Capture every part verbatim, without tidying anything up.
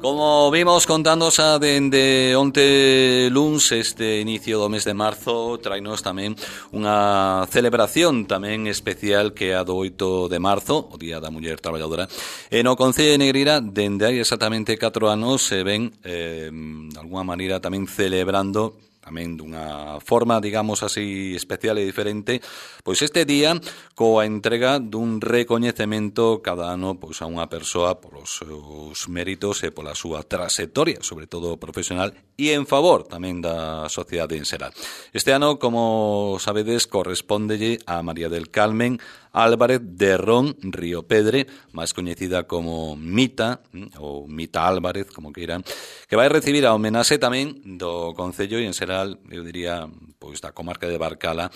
Como vimos contando xa dende onte luns, este inicio do mes de marzo trainos tamén unha celebración tamén especial que é a do oito de marzo, o Día da Muller Traballadora. E no Concello de Negreira, dende hai exactamente catro anos, se ven, eh, de alguna maneira, tamén celebrando tamén dunha forma, digamos así, especial e diferente, pois este día coa entrega dun recoñecemento cada ano pois a unha persoa polos seus méritos e pola súa trayectoria, sobre todo profesional, e en favor tamén da sociedade en xeral. Este ano, como sabedes, correspóndelle a María del Carmen Álvarez de Ron Río Pedre, máis coñecida como Mita, ou Mita Álvarez, como queiran, que vai recibir a homenaxe tamén do Concello e en xeral, eu diría, pois da comarca de Barcala,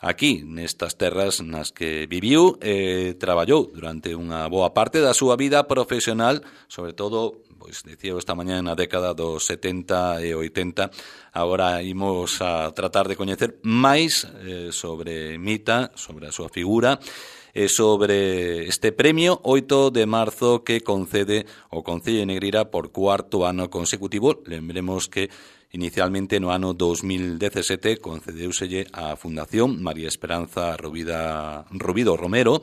aquí, nestas terras nas que viviu e traballou durante unha boa parte da súa vida profesional, sobre todo, pois dicía esta mañá na década dos setenta e oitenta. Agora imos a tratar de coñecer máis eh, sobre Mita, sobre a súa figura e sobre este premio oito de marzo que concede o Concello de Negreira por cuarto ano consecutivo. Lembremos que inicialmente no ano dos mil dezasete concedeuselle a Fundación María Esperanza Rovida, Rovido Romero,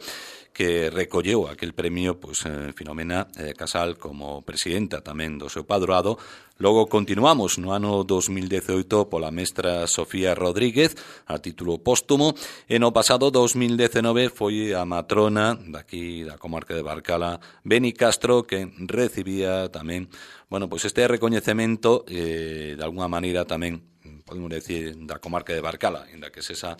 que recolleu aquel premio, pois, eh, Filomena eh, Casal como presidenta tamén do seu padroado. Logo continuamos no ano dos mil dezoito pola mestra Sofía Rodríguez a título póstumo e no pasado dos mil dezenove foi a matrona daqui da comarca de Barcala, Beni Castro, que recibía tamén, bueno, pois este recoñecemento eh, de alguna maneira tamén, podemos decir, da comarca de Barcala, en da que se esa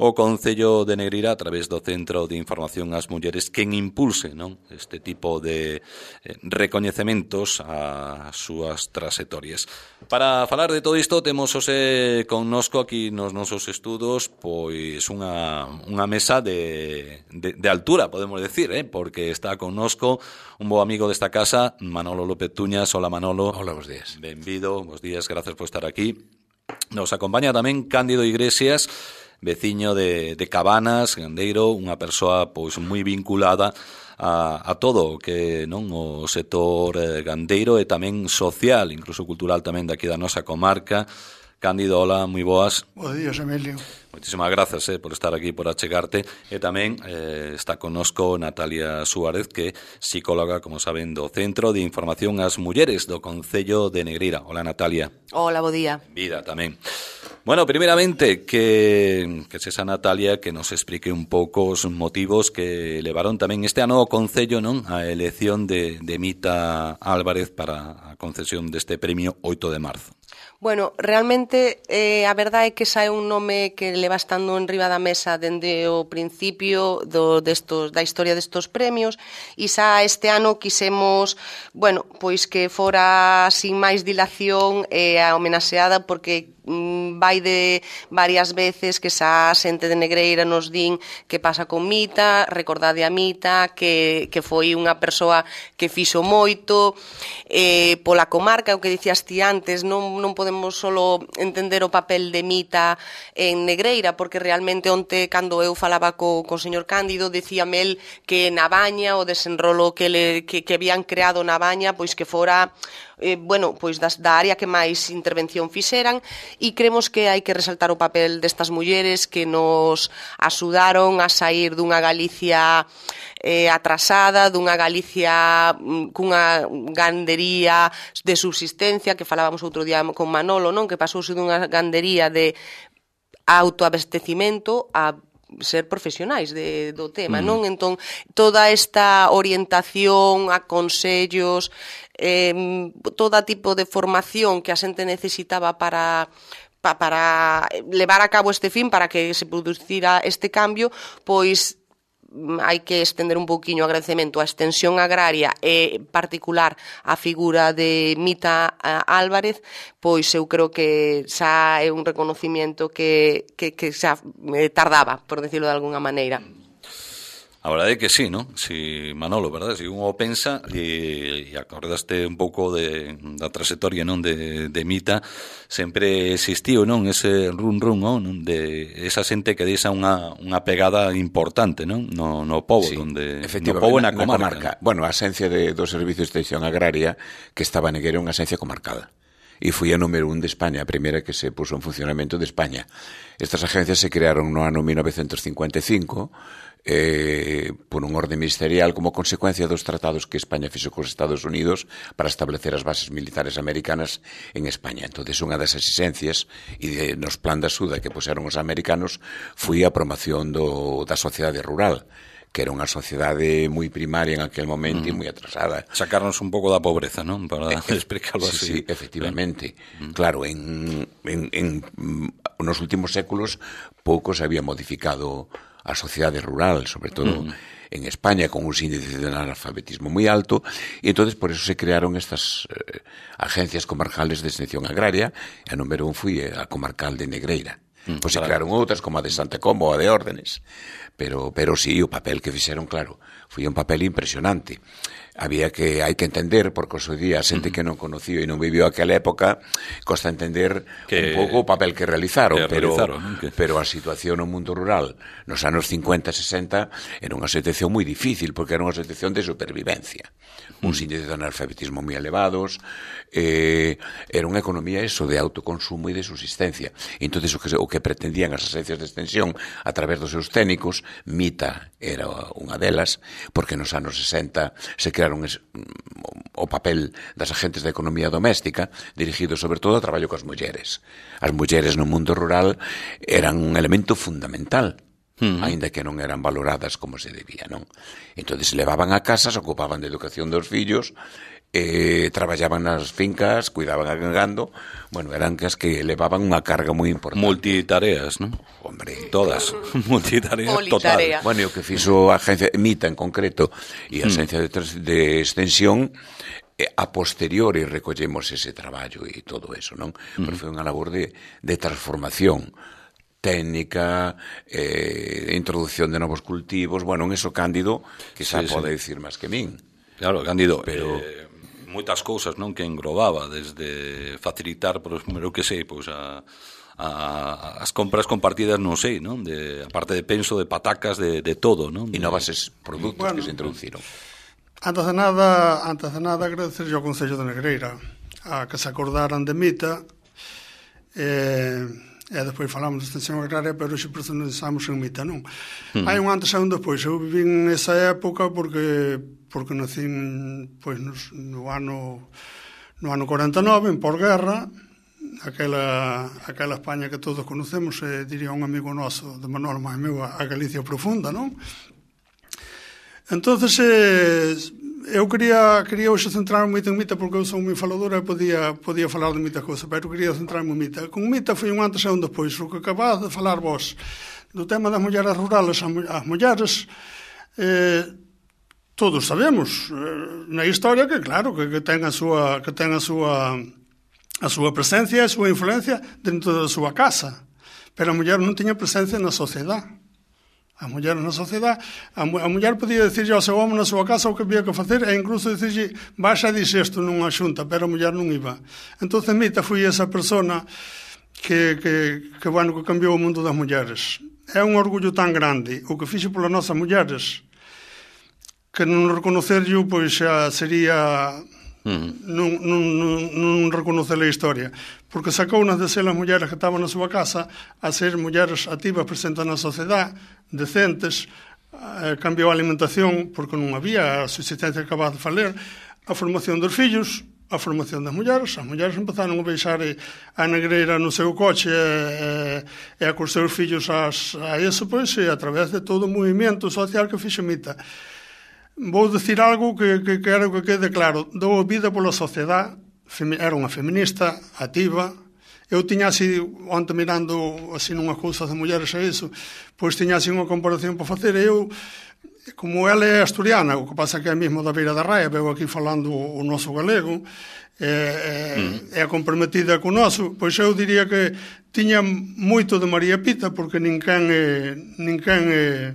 o Concello de Negreira a través do Centro de Información ás Mulleres quen impulse, non, este tipo de eh, recoñecementos ás súas trayectorias. Para falar de todo isto temos hoxe connosco aquí nos nosos estudos pois unha, unha mesa de, de, de altura, podemos decir, eh? Porque está connosco un bo amigo desta casa, Manolo López Tuñas. Hola, Manolo. Hola, bos días. Benvido, bos días, gracias por estar aquí. Nos acompaña tamén Cándido Iglesias, veciño de, de Cabanas, gandeiro, unha persoa pois moi vinculada a, a todo o que non o sector eh, gandeiro e tamén social, incluso cultural tamén daqui da nosa comarca. Cándido, hola, moi boas. Bos días, Emilio. Moitísimas grazas eh, por estar aquí, por achegarte. E tamén eh, está connosco Natalia Suárez, que é psicóloga, como saben, do Centro de Información ás Mulleres do Concello de Negreira. Hola, Natalia. Hola, bo día. Vida tamén. Bueno, primeramente, que, que esa Natalia que nos explique un pouco os motivos que levaron tamén este ano o Concello, non, a elección de, de Mita Álvarez para a concesión deste premio oito de marzo. Bueno, realmente eh, a verdade é que xa é un nome que leva estando en riba da mesa dende o principio do, destos, da historia destos premios e xa este ano quisemos, bueno, pois que fora sin máis dilación eh, a homenaxeada porque vai de varias veces que xa a xente de Negreira nos din que pasa con Mita, recordade a Mita, que, que foi unha persoa que fixo moito eh, pola comarca, o que dicías ti antes, non, non podemos solo entender o papel de Mita en Negreira, porque realmente onte, cando eu falaba co, co señor Cándido, decíame el que na Baña, o desenrolo que, le, que, que habían creado na Baña, pois que fora Eh, bueno, pois das, da área que máis intervención fixeran e creemos que hai que resaltar o papel destas mulleres que nos axudaron a sair dunha Galicia eh, atrasada, dunha Galicia mm, cunha gandería de subsistencia, que falábamos outro día con Manolo, non, que pasouse dunha gandería de autoabastecimento a ser profesionais de, do tema, mm. non? Entón, toda esta orientación a consellos, eh, todo tipo de formación que a xente necesitaba para pa, para levar a cabo este fin, para que se producira este cambio, pois hai que estender un pouquiño o agradecemento á extensión agraria e en particular a figura de Mita Álvarez, pois eu creo que xa é un reconocimiento que, que, que xa tardaba, por decirlo de alguna maneira. A verdade é que sí, non? Si, Manolo, verdade? Si uno pensa e, e acordaste un pouco de, da trayectoria, non? De, de Mita, sempre existiu, non? Ese run run, non? De esa xente que deixa unha, unha pegada importante, non? No, no pobo, sí, donde, no pobo na, na comarca. comarca. Bueno, a esencia de, do Servicio de Extensión Agraria que estaba en Negueira unha esencia comarcal. E foi a número un de España, a primeira que se puso en funcionamento de España. Estas agencias se crearon no ano mil novecentos cincuenta e cinco eh, por un orde ministerial como consecuencia dos tratados que España fixo cos Estados Unidos para establecer as bases militares americanas en España. Entón, unha das exigencias e de, nos plan da axuda que puseron os americanos foi a promoción do, da sociedade rural, que era unha sociedade moi primaria en aquel momento mm. e moi atrasada. Sacarnos un pouco da pobreza, non? Para eh, explicarlo sí, así. Sí, efectivamente. Mm. Claro, en, en, en nos últimos séculos pouco se había modificado a sociedade rural, sobre todo mm. en España, con un índice de analfabetismo moi alto, e entonces por eso se crearon estas eh, agencias comarcales de extensión agraria, e a número un foi a comarcal de Negreira. Mm, pois se claro. Crearon outras, como a de Santa Comba ou a de Órdenes, pero, pero sí, o papel que fixeron, claro, foi un papel impresionante. Había que, hai que entender, porque o seu día a xente que non conociu e non viviu aquela época, costa entender que, un pouco o papel que realizaron, que pero, realizaron que... pero a situación no mundo rural nos anos cincuenta e sesenta era unha situación moi difícil, porque era unha situación de supervivencia, uns mm. índices de analfabetismo moi elevados, eh, era unha economía eso de autoconsumo e de subsistencia. Entón, o que, o que pretendían as agencias de extensión a través dos seus técnicos, Mita era unha delas, porque nos anos sesenta se crearon es, o papel das agentes de economía doméstica dirigido sobre todo ao traballo coas mulleres. As mulleres no mundo rural eran un elemento fundamental, uh-huh. aínda que non eran valoradas como se debía, non? Entón, se levaban a casa, se ocupaban de educación dos fillos, eh, traballaban nas fincas, cuidaban a gando, bueno, eran as que levaban unha carga moi importante. Multitareas, non? Hombre, todas, claro. Multitarea Politarea. total. Bueno, e o que fixo a agencia Mita en concreto e a agencia mm. de, de extensión, eh, a posteriori recollemos ese traballo e todo eso, non? Mm. Pero foi unha labor de, de transformación técnica, eh, introducción de novos cultivos, bueno, en eso Cándido, que xa sí, pode sí. dicir máis que min. Claro, Cándido, pero... Eh... moitas cousas, non, que englobaba, desde facilitar, por eu que sei, pois a, a as compras compartidas, non sei, non, de a parte de penso, de patacas, de, de todo, non? E novas produtos bueno, que se introduciron. Antes de nada, antes de nada agradecer ao Concello de Negreira a que se acordaran de Mita, eh, e despois falamos de extensión agraria, pero xe personalizamos en Mita, non? Hmm. Hai un antes e un despois. Eu viví nesa época porque porque nacín pois, no ano no ano cuarenta e nove, en posguerra, aquela, aquela España que todos conocemos, eh, diría un amigo noso, de Manuel máis meu, a Galicia profunda, non? Entonces, eh, eu quería, quería hoxe centrar moito en Mita, porque eu son moi faladora e podía, podía falar de moitas cousas, pero queria centrarme en Mita. Con Mita foi un antes e un despois, o que acabas de falar vos, do tema das mulleres rurales, as mulleres... Eh, todos sabemos eh, na historia que claro que, que ten a súa que ten a súa a súa presencia e a súa influencia dentro da súa casa, pero a muller non tiña presencia na sociedade. A muller na sociedade, a, a muller podía dicirlle ao seu home na súa casa o que había que facer e incluso dicirlle baixa a dixe isto nunha xunta, pero a muller non iba. Entón Mita foi esa persona que, que, que, bueno, que cambiou o mundo das mulleres. É un orgullo tan grande o que fixo polas nosas mulleres que non reconocerlo pois xa sería mm. non, non, non, non reconocer a historia, porque sacou unas de ser as mulleres que estaban na súa casa a ser mulleres activas presentes na sociedade, decentes, eh, cambiou a alimentación porque non había a subsistencia que acabas de falar, a formación dos fillos, a formación das mulleres. As mulleres empezaron a baixar a Negreira no seu coche e, e a cos seus fillos as, a eso, pois, e a través de todo o movimento social que fixo Mita. Vou dicir algo que, que quero que quede claro. Dou vida pola sociedade, era unha feminista, activa. Eu tiña así, onte mirando así nunhas cousas de mulleres a iso, pois tiña así unha comparación para facer. Eu, como ela é asturiana, o que pasa que é mesmo da Beira da Raia, veo aquí falando o noso galego, é, mm. é comprometida co noso, pois eu diría que tiña moito de María Pita, porque ninguén é, ninguén é,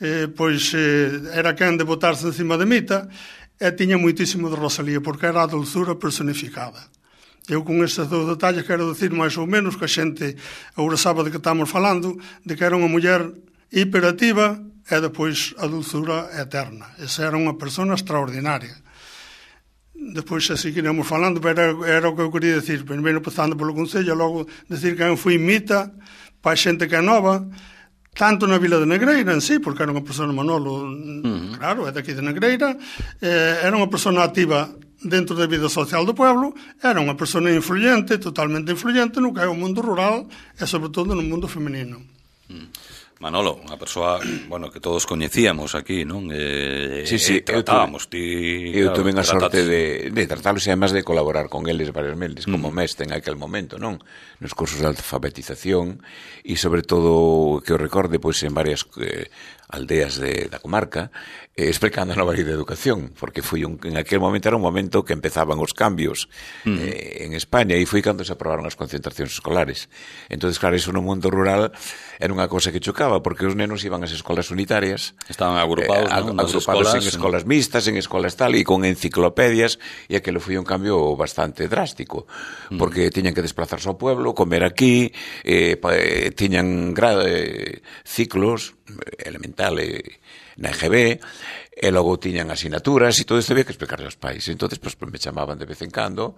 eh, pois eh, era quen de botarse encima de Mita, e tiña moitísimo de Rosalía, porque era a dulzura personificada. Eu con estes dous detalles quero decir máis ou menos que a xente agora sabe de que estamos falando, de que era unha muller hiperativa e depois a dulzura eterna. Esa era unha persona extraordinaria. Depois se seguiremos falando, pero era, era o que eu quería decir. Primeiro pasando polo Concello, logo decir que eu fui Mita para a xente que é nova, tanto na Vila de Negreira en sí, porque era unha persona Manolo, uh-huh. claro, é daqui de Negreira, eh, era unha persona activa dentro da vida social do pueblo, era unha persona influyente, totalmente influyente no que é o mundo rural e sobre todo no mundo femenino. Uh-huh. Manolo, unha persoa, bueno, que todos coñecíamos aquí, non? Eh, sí, sí, eh, tratábamos, ti... Eu claro, tuve a sorte trataste... de, de tratarlos e además de colaborar con eles varias meses, como mm. mestre en aquel momento, non? Nos cursos de alfabetización e sobre todo que eu recorde, pois, en varias eh, aldeas de, da comarca, eh, explicando a nova lei de educación, porque foi un, en aquel momento era un momento que empezaban os cambios mm. eh, en España e foi cando se aprobaron as concentracións escolares. Entonces, claro, iso no mundo rural era unha cosa que chocaba, porque os nenos iban ás escolas unitarias, estaban agrupados, eh, ¿no? agrupados escolas, en escolas mixtas, en escolas tal, e con enciclopedias, e aquilo foi un cambio bastante drástico, porque mm. tiñan que desplazarse ao pueblo, comer aquí, eh, pa, eh, tiñan gra, eh, ciclos elemental eh, na E G B, e logo tiñan asignaturas, e todo isto había que explicarle aos pais. Entonces, pues, me chamaban de vez en cando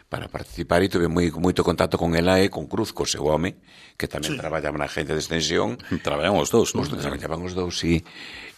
para participar, e tuve moi, moito contacto con ela e con Cruz, co seu home, que tamén sí. traballaba na agencia de extensión. Traballaban os dous, non? Traballaban os dous, sí.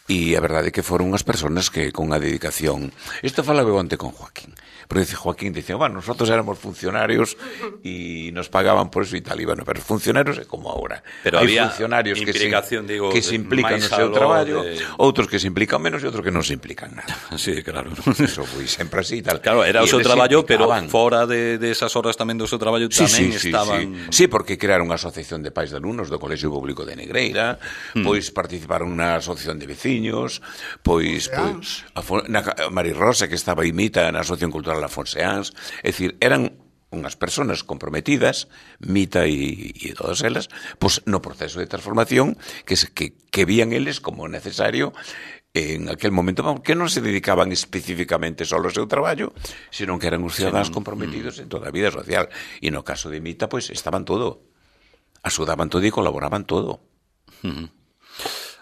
E a verdade é que foron unhas persoas que con a dedicación... Isto falaba onte con Joaquín. Porque dice, Joaquín dice, bueno, nosotros éramos funcionarios e nos pagaban por eso e tal. E bueno, pero funcionarios é como ahora. Pero hai había funcionarios que se, digo, que se implican no seu traballo, de... outros que se implican menos e outros que non se implican nada. Sí, claro. Eso foi sempre así tal. Claro, era o seu traballo, pero fora de, de esas horas tamén do seu traballo tamén sí, sí, estaban... Sí, sí. sí, porque crearon unha asociación de pais de alumnos do Colexio Público de Negreira, mm. pois participaron na asociación de veciños, pois, pois a, na, a Mari Rosa, que estaba imita na Asociación Cultural Afonseáns. É dicir, eran unhas persoas comprometidas, Mita e, e todas elas, pois no proceso de transformación que, que, que vían eles como necesario en aquel momento, que non se dedicaban especificamente só ao seu traballo, sino que eran os ciudadanos comprometidos en toda a vida social. E no caso de Mita, pois estaban todo, axudaban todo e colaboraban todo. Uh-huh.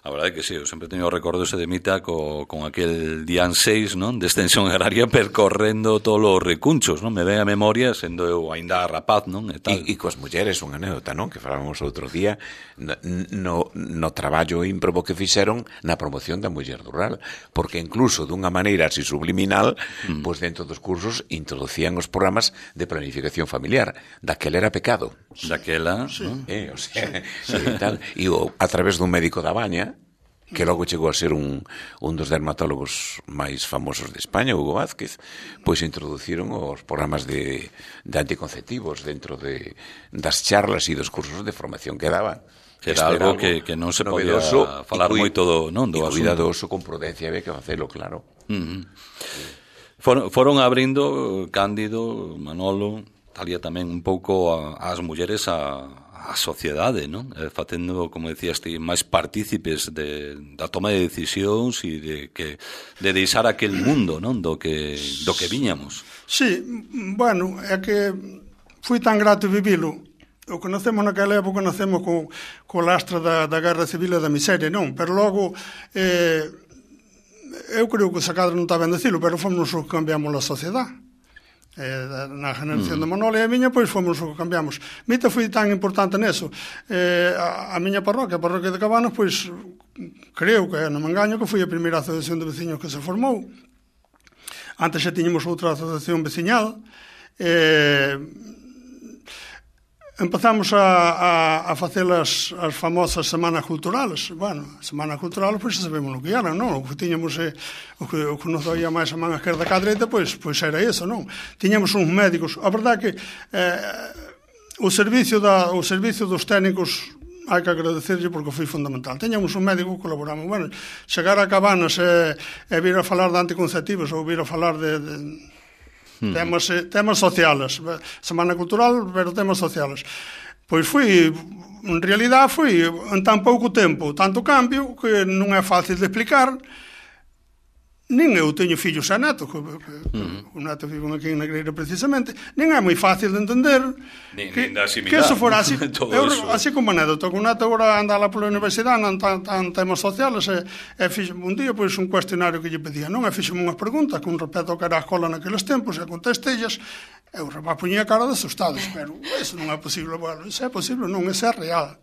A verdade é que sí, eu sempre teño o recordo ese de Mita co, con aquel Dian seis, non? De extensión agraria percorrendo todos os recunchos, non? Me ven a memoria, sendo eu aínda rapaz, non? E, tal. e, e coas mulleres, unha anécdota, non? Que falamos outro día no, no, no traballo ímprobo que fixeron na promoción da muller rural, porque incluso dunha maneira así subliminal, mm. pois dentro dos cursos introducían os programas de planificación familiar. Daquela era pecado. Daquela, sí. ¿no? Eh, o sea, sí, tal. E o, a través dun médico da Baña, que logo chegou a ser un, un dos dermatólogos máis famosos de España, Hugo Vázquez, pois introduciron os programas de, de anticonceptivos dentro de, das charlas e dos cursos de formación que daban. Era algo, algo que, que non se podía falar cui, moito do, non, do asunto. Cuidadoso, con prudencia, había que facelo, claro. Uh-huh. For, foron abrindo Cándido, Manolo, talía tamén un pouco a, as mulleres a a sociedade, non? Eh, facendo, como decías ti, máis partícipes de, da toma de decisións e de que de deixar aquel mundo, non? Do que do que viñamos. Sí, bueno, é que foi tan grato vivilo. O que nacemos naquela época nacemos co, co lastra da, da guerra civil e da miseria, non? Pero logo eh, eu creo que o Sacadra non está ben decilo, pero fomos os que cambiamos a sociedade. Eh, na generación mm. de Manolo e a miña, pois fomos o que cambiamos. Mita foi tan importante neso. Eh, a, a miña parroquia, a parroquia de Cabanas, pois creo que, non me engaño, que foi a primeira asociación de veciños que se formou. Antes xa tiñamos outra asociación veciñal. Eh, empezamos a, a, a facer as, as famosas semanas culturales. Bueno, semanas culturales, pois xa sabemos o que eran, non? O que tiñamos, eh, o que, o que nos doía máis a man esquerda que a dereita, pois, pois era eso, non? Tiñamos uns médicos. A verdade que eh, o servicio da, o servicio dos técnicos hai que agradecerlle porque foi fundamental. Teñamos un médico que colaboramos. Bueno, chegar a Cabanas e, e vir a falar de anticonceptivos ou vir a falar de... de Temas, temas sociales, semana cultural, pero temas sociales. Pois foi, en realidad foi en tan pouco tempo, tanto cambio, que non é fácil de explicar. Nin eu teño fillos e netos, que, que, uh-huh. o neto vive aquí en Negreira precisamente, nin é moi fácil de entender nin, que, nin asimilar, que eso fora así, eu, eso. así como anécdota, que o neto agora anda lá pola universidade, non tan, tan temas sociales, e, e fixe un día pois, un cuestionario que lle pedía, non, e fixeme unhas preguntas con respecto ao que era a escola naqueles tempos, e contestellas, e o rapaz poñía cara de asustado, pero eso non é posible, bueno, isso é posible, non, isso é real.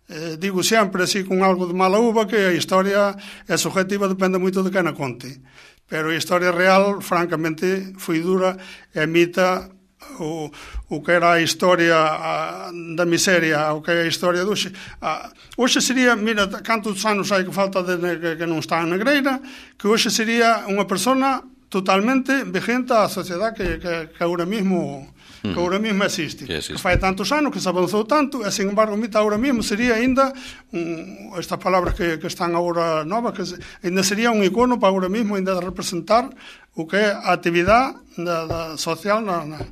Eh, digo sempre así con algo de mala uva que a historia é subjetiva, depende moito de quen a conte, pero a historia real francamente foi dura e imita o, o que era a historia a, da miseria, o que é a historia de hoxe. A, hoxe sería, mira, cantos anos hai que falta de, que, que non está en Negreira, que hoxe sería unha persona totalmente vigente á sociedade que, que, que agora mismo que agora mesmo existe, que, que fai tantos anos que se avanzou tanto, e sin embargo mita agora mesmo sería ainda un, estas palabras que, que están agora novas, que se, ainda sería un icono para agora mesmo ainda representar o que é a actividade da, da social na, na,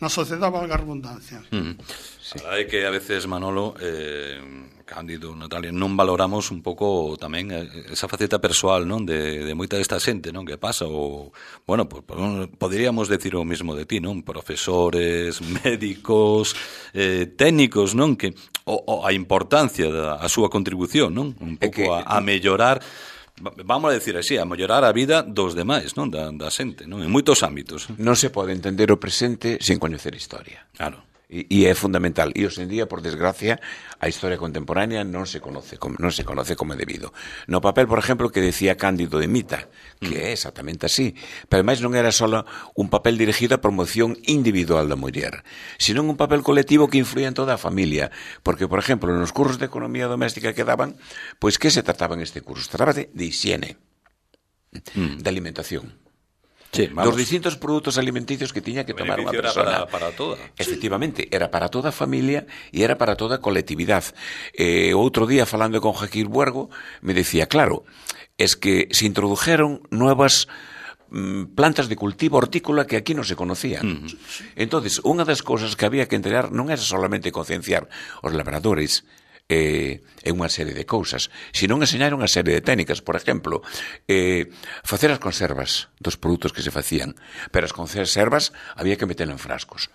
na sociedade, valga a redundancia. Mm. Sí. É que a veces, Manolo, eh, Cándido, Natalia, non valoramos un pouco tamén esa faceta persoal, non, de, de moita desta xente, non, que pasa, ou, bueno, pues, poderíamos decir o mismo de ti, non, profesores, médicos, eh, técnicos, non, que o, o a importancia da a súa contribución, non, un pouco a, a mellorar, vamos a decir así, a mellorar a vida dos demais, non, da, da xente, non, en moitos ámbitos. Non se pode entender o presente sen coñecer historia. Claro. E é fundamental. E hoxe en día, por desgracia, a historia contemporánea non se conoce como, non se conoce como é debido. No papel, por exemplo, que decía Cándido de Mita, que mm. é exactamente así, pero máis non era só un papel dirigido á promoción individual da muller, sino un papel colectivo que influía en toda a familia, porque, por exemplo, nos cursos de economía doméstica que daban, pois que se trataba en este curso? Trataba de, de higiene, mm. de alimentación. Sí, dos distintos produtos alimenticios que tiña que tomar unha persona. Era para, para toda. Efectivamente, era para toda a familia e era para toda a colectividade. Eh, outro día, falando con Jaquín Buergo, me decía, claro, es que se introdujeron nuevas mm, plantas de cultivo hortícola que aquí non se conocían. Uh-huh. Entonces, unha das cousas que había que entregar non era solamente concienciar os labradores eh, en unha serie de cousas, sino enseñar unha serie de técnicas. Por exemplo, eh, facer as conservas dos produtos que se facían, pero as conservas había que meterlas en frascos.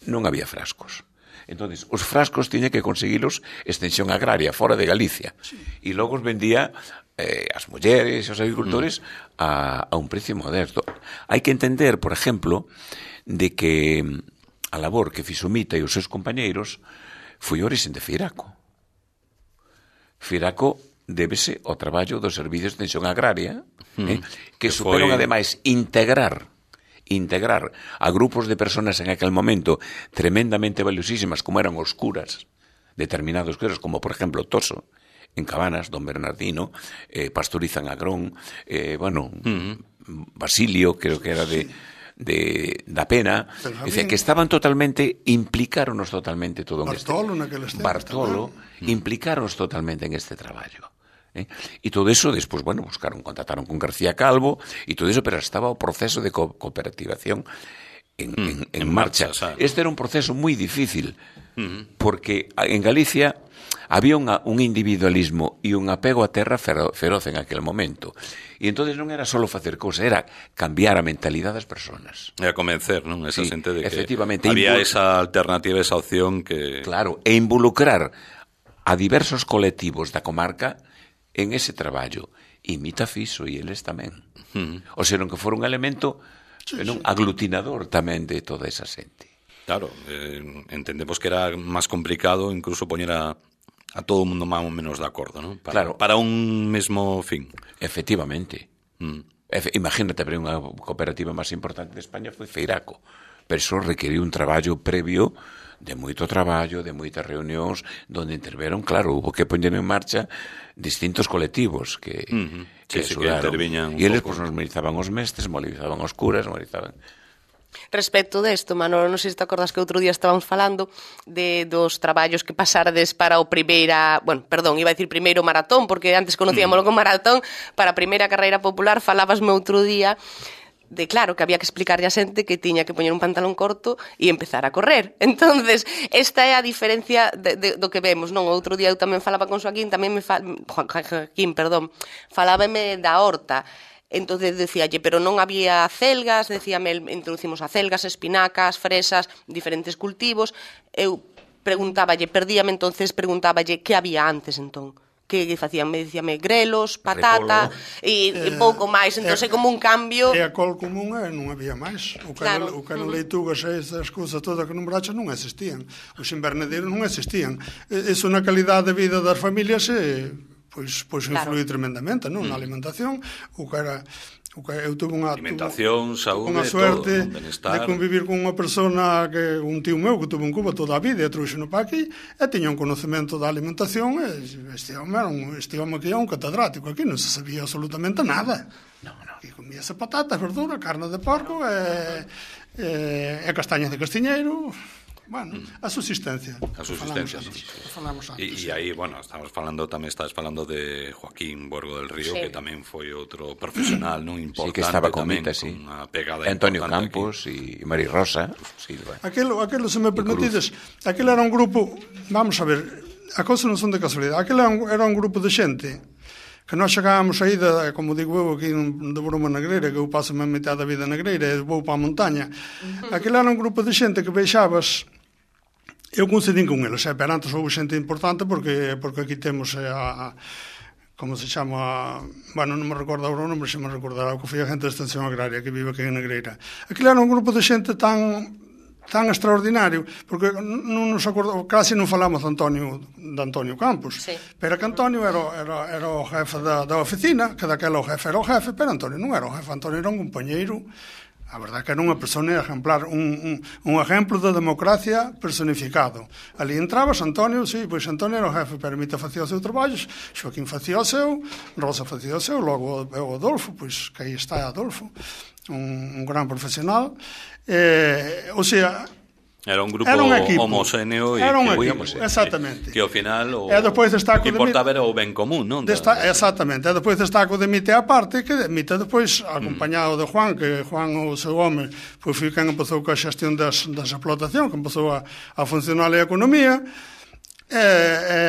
Non había frascos. Entonces, os frascos tiña que conseguilos extensión agraria, fora de Galicia. Sí. E logo os vendía eh, as mulleres e os agricultores mm. a, a un precio modesto. Hai que entender, por exemplo, de que a labor que fixo Mita e os seus compañeiros foi orixen de Feiraco. Feiraco débese ao traballo dos servicios de extensión agraria, mm. eh, que, que superan, foi... ademais, integrar integrar a grupos de personas en aquel momento tremendamente valiosísimas, como eran os curas, determinados curas, como, por exemplo, Toso, en Cabanas, Don Bernardino, eh, Pastorizan Agrón, eh, bueno, mm. Basilio, creo que era de... de da Pena, dice, que estaban totalmente, implicaronos totalmente todo en Bartolo, este Bartolo, implicaronos totalmente en este traballo. ¿eh? E todo eso, despois, bueno, buscaron, contactaron con García Calvo, e todo eso, pero estaba o proceso de co cooperativación en, mm, en, en, en marcha. marcha este era un proceso moi difícil, mm. porque en Galicia había unha, un individualismo e un apego a terra feroz en aquel momento. E entonces non era só facer cousa, era cambiar a mentalidade das persoas. E a convencer, non? Esa sí, xente de que Invol... había esa alternativa, esa opción que... Claro, e involucrar a diversos colectivos da comarca en ese traballo. E Mita fixo, e eles tamén. Uh-huh. O sea, non que fora un elemento sí, non, sí. aglutinador tamén de toda esa xente. Claro, eh, entendemos que era máis complicado incluso poñer a a todo o mundo máis ou menos de acordo, non? Para, claro. Para un mesmo fin. Efectivamente. Mm. Efe, imagínate, pero unha cooperativa máis importante de España foi Feiraco. Pero iso requeriu un traballo previo de moito traballo, de moitas reunións, donde interveron, claro, hubo que poñer en marcha distintos colectivos que, mm-hmm. que sí, axudaron. E eles pues, nos movilizaban os mestres, movilizaban os curas, movilizaban... Respecto desto, Manolo, non sei se te acordas que outro día estábamos falando de dos traballos que pasardes para o primeira, bueno, perdón, iba a decir primeiro maratón, porque antes conocíamoslo mm. como maratón, para a primeira carreira popular, falabasme outro día de claro, que había que explicarle a xente que tiña que poñer un pantalón corto e empezar a correr. Entonces, esta é a diferencia de, de, do que vemos, non? Outro día eu tamén falaba con Joaquín, tamén me fa... Joaquín, perdón, falábame da horta. Entonces decíalle, pero non había celgas, decíame, introducimos a celgas, espinacas, fresas, diferentes cultivos. Eu preguntáballe, perdíame entonces, preguntáballe que había antes entón. Que facían, me dicíame, grelos, patata e eh, pouco máis, entón é como un cambio. E a col común é, non había máis. O que claro. O que eran leitugas e esas cousas todas que nombraches non existían. Os invernadeiros non existían. Iso na calidade de vida das familias e, pois, pois claro. influí tremendamente, non? Na alimentación, o que era... O que eu tuve unha alimentación, saúde, unha suerte todo, de convivir con unha persona que un tío meu que tuve en Cuba toda a vida e trouxeno para aquí e tiña un conocemento da alimentación e este home era un, este home que era un catedrático aquí, non se sabía absolutamente nada. No, no. E comíase patatas, verdura, carne de porco e, e, e castañas de castiñeiro. Bueno, a subsistencia. A subsistencia, falamos non? E aí, bueno, estamos falando, tamén estás falando de Joaquín Borgo del Río, sí. que tamén foi outro profesional, non importante. Sí, que estaba con Mita, sí. Antonio Campos e Mari Rosa. Sí, bueno. Aquilo, aquilo, se me permitides, aquilo era un grupo, vamos a ver, a cousa non son de casualidade, aquilo era un, era un grupo de xente que nós chegábamos aí, de, como digo eu, aquí de Bruma Negreira, que eu paso a metade da vida negreira e vou para a montaña. Aquilo era un grupo de xente que veixabas. Eu coincidín con eles, eh, pero antes houve xente importante porque porque aquí temos eh, a, como se chama, bueno, non me recordo agora o nome, se me recordará, que foi a gente de Extensión Agraria que vive aquí en Negreira. Aquilo era un grupo de xente tan tan extraordinario, porque non nos acordo, casi non falamos de Antonio, de Antonio Campos, sí. Pero que Antonio era, era, era o jefe da, da oficina, que daquela o jefe era o jefe, pero Antonio non era o jefe, Antonio era un compañeiro. A verdade que era unha persona exemplar, un, un, un exemplo de democracia personificado. Ali entrabas, Antonio, sí, pois Antonio era o jefe, pero Mita facía o seu traballo, Xoaquín facía o seu, Rosa facía o seu, logo o Adolfo, pois que aí está Adolfo, un, un gran profesional. Eh, o sea... Era un grupo era un homogéneo e era un que, equipo, exactamente. Que ao final o, e o que importaba era o ben común, non? Desta, exactamente, e depois destaco de Mita a parte, que Mita depois, acompañado de Juan, que Juan o seu home, pois foi quen empezou coa xestión das, das explotación, que empezou a, a funcionar a economía, e, e,